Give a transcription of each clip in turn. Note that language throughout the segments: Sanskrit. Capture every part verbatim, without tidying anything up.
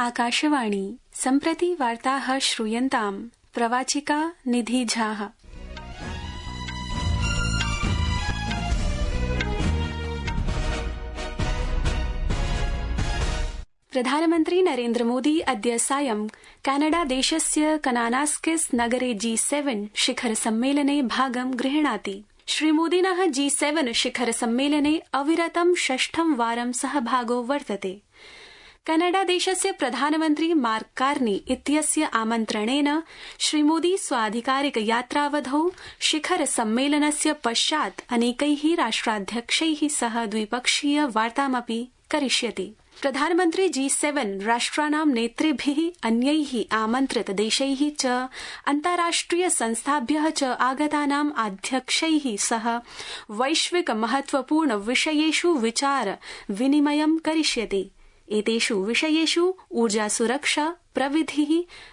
आकाशवाणी सम्प्रति वार्ताः श्रूयन्ताम् प्रवाचिका निधि झा। प्रधानमन्त्री नरेन्द्र मोदी अद्य सायं कनाडा देशस्य कनानास्किस नगरे जी सेवन शिखर सम्मेलने भागं गृह्णाति। श्रीमोदिनः जी सेवन शिखर सम्मेलने अविरतं षष्ठं वारं सहभागो वर्तते। कनाडा देशस्य प्रधानमन्त्री मार्क कार्नी इत्यस्य आमन्त्रणेन श्रीमोदी स्वाधिकारिक यात्रावधौ शिखर सम्मेलनस्य पश्चात् अनेकैः राष्ट्राध्यक्षैः सह द्विपक्षीय वार्तामपि करिष्यति। प्रधानमन्त्री जी सेवन राष्ट्राणां नेतृभिः अन्यैः आमन्त्रित देशैः च अन्ताराष्ट्रिय संस्थाभ्यः च आगतानाम् अध्यक्षैः सह वैश्विक महत्वपूर्ण विषयेषु विचार विनिमयं करिष्यति। एतेषु विषयेषु ऊर्जा सुरक्षा, प्रविधिः,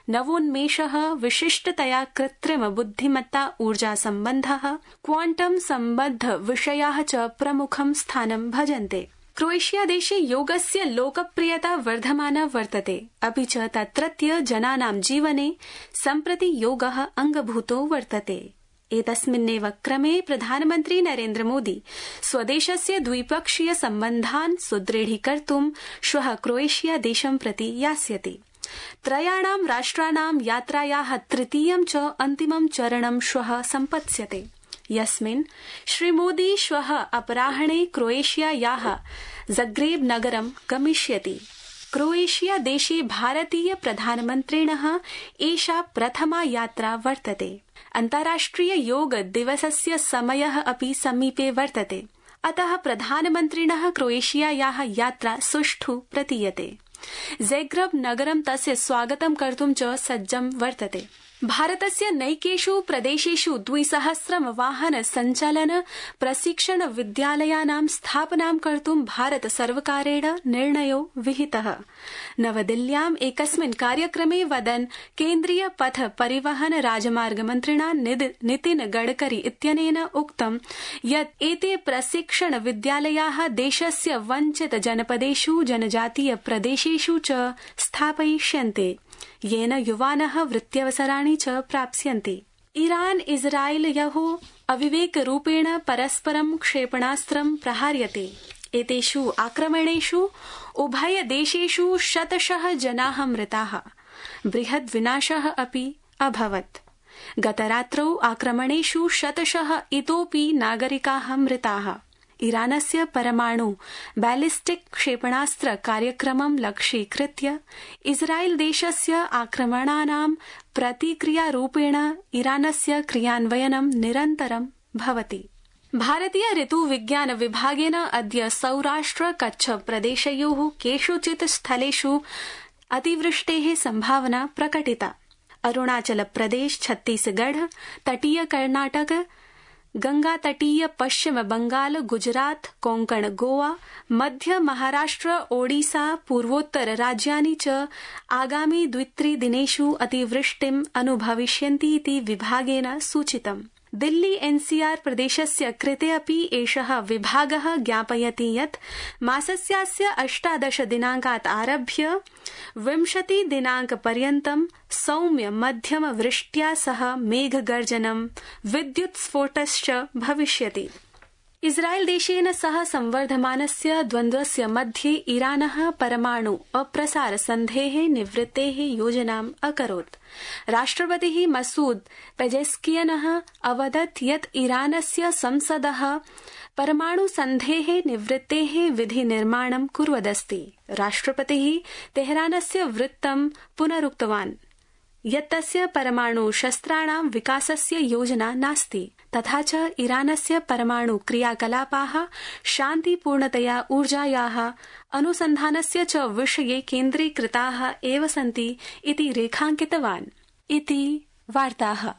नवोन्मेषः, विशिष्टतया कृत्रिम बुद्धिमत्ता ऊर्जा सम्बन्धः, क्वांटम सम्बद्ध विषयाः च प्रमुखं स्थानं भजन्ते। क्रोएशिया देशे योगस्य लोकप्रियता वर्धमाना वर्तते, अपि च तत्रत्य जनानां जीवने सम्प्रति योगः अंगभूतो वर्तते। एतस्मिन्नेव क्रमे प्रधानमन्त्री नरेन्द्र मोदी स्वदेशस्य द्विपक्षीय सम्बन्धान् सुदृढीकर्तुं श्वः क्रोएशिया देशं प्रति यास्यति। त्रयाणां राष्ट्राणां यात्रायाः तृतीयं च अन्तिमं चरणं श्वः सम्पत्स्यते, यस्मिन् श्रीमोदी श्वः अपराह्णे क्रोएशियायाः ज़ग्रेब नगरं गमिष्यति। क्रोएशिया देशे भारतीय प्रधानमन्त्रिणः एषा प्रथमा यात्रा वर्तते। अन्ताराष्ट्रिय योग दिवसस्य समयः अपि समीपे वर्तते, अतः प्रधानमन्त्रिणः क्रोएशियायाः यात्रा सुष्ठु प्रतीयते। ज़ग्रेब नगरं तस्य स्वागतं कर्तुं च सज्जं वर्तते। भारतस्य नैकेषु प्रदेशेषु द्विसहस्रं वाहन सञ्चालन प्रशिक्षण विद्यालयानां स्थापनां कर्तुं भारत सर्वकारेण निर्णयो विहितः। नवदिल्ल्याम् एकस्मिन् कार्यक्रमे वदन् केन्द्रीय पथ परिवहन राजमार्ग मन्त्रिणा नितिन गडकरी इत्यनेन उक्तं यत् एते प्रशिक्षण विद्यालयाः देशस्य वञ्चित जनपदेषु जनजातीय प्रदेशेषु च स्थापयिष्यन्ते, येन युवानः वृत्त्यवसराणि च प्राप्स्यन्ते। ईरान इस्राएलयोः अविवेकरूपेण परस्परं क्षेपणास्त्रं प्रहार्यते। एतेषु आक्रमणेषु उभय देशेषु शतशः जनाः मृताः, बृहद् विनाशः अपि अभवत्। गतरात्रौ आक्रमणेषु शतशः इतोपि नागरिकाः मृताः। ईरानस्य परमाणु बैलिस्टिक क्षेपणास्त्र कार्यक्रमं लक्ष्यीकृत्य इस्राएल देशस्य आक्रमणानां प्रतिक्रियारूपेण ईरानस्य क्रियान्वयनं निरन्तरं भवति। भारतीय ऋतुविज्ञान विभागेन अद्य सौराष्ट्र कच्छ प्रदेशयोः केषुचित् स्थलेषु अतिवृष्टेः सम्भावना प्रकटिता। अरुणाचल प्रदेश, छत्तीसगढ़, तटीय कर्नाटक, गंगा तटीय पश्चिम बंगाल, गुजरात, कोंकण, गोवा, मध्य महाराष्ट्र, ओडिसा, पूर्वोत्तर राज्यानि च आगामि द्वित्रिदिनेषु अतिवृष्टिम् अनुभविष्यन्ति इति विभागेन सूचितम्। दिल्ली एनसीआर प्रदेशस्य कृते अपि एषः विभागः ज्ञापयति यत् मासस्यास्य अष्टादश दिनाङ्कात् आरभ्य विंशति दिनाङ्कपर्यन्तं सौम्य मध्यम वृष्ट्या सह मेघगर्जनं, विद्युत्स्फोटश्च भविष्यति। इस्राएल देशेन सह संवर्धमानस्य द्वन्द्वस्य मध्ये ईरानः परमाणु अप्रसार सन्धेः निवृत्तेः योजनाम् अकरोत्। राष्ट्रपतिः मसूद पेजेस्कियनः अवदत् यत् ईरानस्य संसदः परमाणु सन्धेः निवृत्तेः विधि निर्माणं कुर्वदस्ति। राष्ट्रपतिः तेहरानस्य वृत्तं पुनरुक्तवान् यत् तस्य परमाणु शस्त्राणां विकासस्य योजना नास्ति, तथा च ईरानस्य परमाणु क्रियाकलापाः शान्तिपूर्णतया ऊर्जायाः अनुसन्धानस्य च विषये केन्द्रीकृताः एव सन्ति इति रेखाङ्कितवान्। इति वार्ताः।